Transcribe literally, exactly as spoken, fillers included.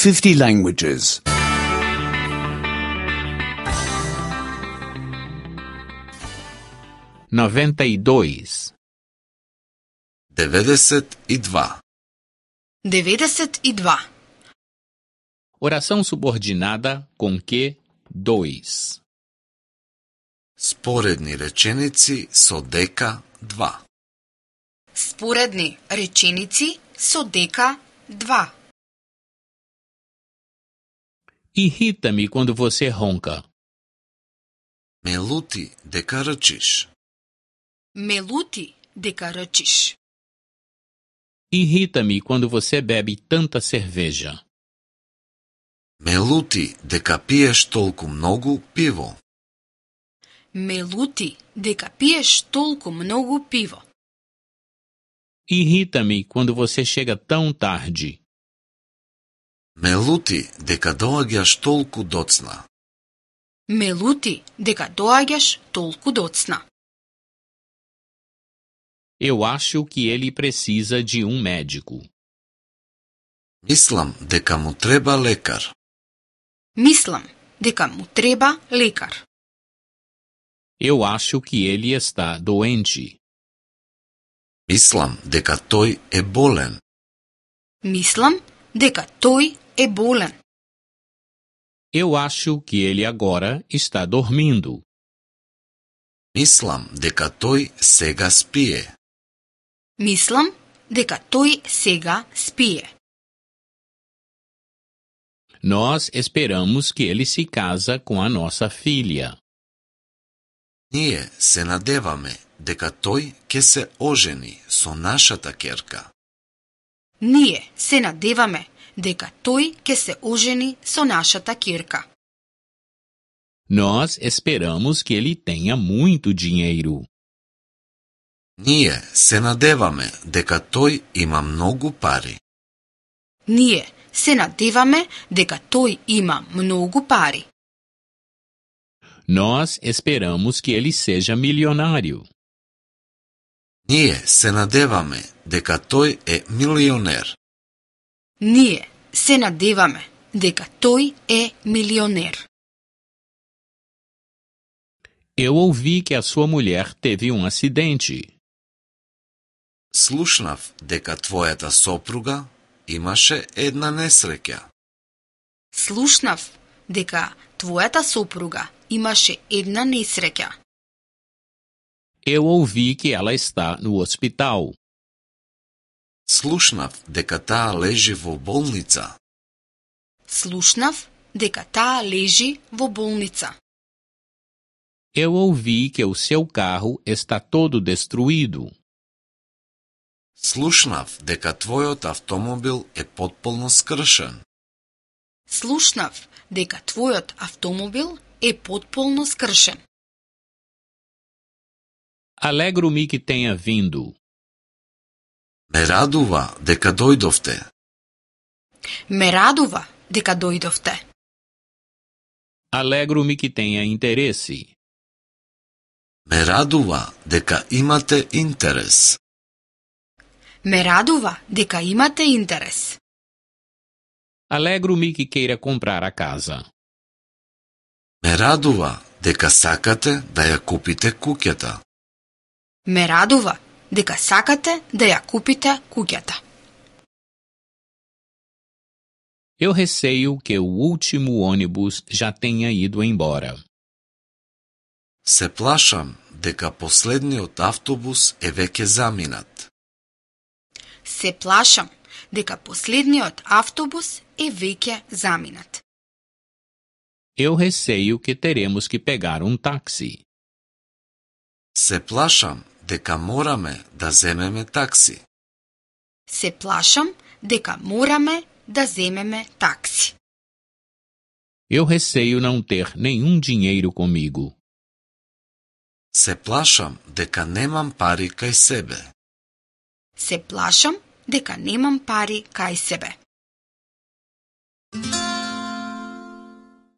fifty languages. noventa e dois. Devedeset e dva. devedeset e dva. Oração subordinada com que dois. Споредни реченици со дека два. Споредни реченици со дека два. Irrita-me quando você ronca. Ме лути дека рчиш. Ме лути дека рчиш. Irrita-me quando você bebe tanta cerveja. Ме лути дека пиеш толку многу пиво. Ме лути дека пиеш толку многу пиво. Irrita-me quando você chega tão tarde. Ме лути дека доаѓаш толку доцна. Ме лути дека доаѓаш толку доцна. Eu acho que ele precisa de um médico. Мислам дека му треба лекар. Мислам дека му треба лекар. Eu acho que ele está doente. Мислам дека тој е болен. Мислам дека тој е болен. Eu acho que ele agora está dormindo. Мислам дека тој сега спие. Мислам дека тој сега спие. Nós esperamos que ele se casa com a nossa filha. Ние се надеваме дека тој ќе се ожени со нашата ќерка. Ние се надеваме дека тој ќе се ожени со нашата ќерка. Nós esperamos que ele tenha muito dinheiro. Ние се надеваме дека тој има многу пари. Ние се надеваме дека тој има многу пари. Nós esperamos que ele seja milionário. Ние се надеваме дека тој е милионер. Ние се надеваме дека тој е милионер. Eu ouvi que a sua mulher teve um acidente. Слушнав дека твојата сопруга имаше една несреќа. Слушнав дека твојата сопруга имаше една несреќа. Eu ouvi que ela está no hospital. Слушнав дека таа лежи во болница. Слушнав дека таа лежи во болница. Eu ouvi que o seu carro está todo destruído. Слушнав дека твојот автомобил е потполно скршен. Слушнав дека твојот автомобил е потполно скршен. Alegro-me que tenha vindo. Ме радува дека дојдовте. Ме радува дека дојдовте. Alegro-me que tenha interesse. Ме радува дека имате интерес. Ме радува дека имате интерес. Alegro-me que queira comprar a casa. Ме радува дека сакате да ја купите куќата. Ме радува дека сакате да ја купите куќата. Eu receio que o último ônibus já tenha ido embora. Се плашам дека последниот автобус е веќе заминат. Се плашам дека последниот автобус е веќе заминат. Eu receio que teremos que pegar um táxi. Се плашам дека мораме да земеме такси. Се плашам дека мораме да земеме такси. Eu receio não ter nenhum dinheiro comigo. Се плашам дека немам пари кај себе. Се плашам дека немам пари кај себе.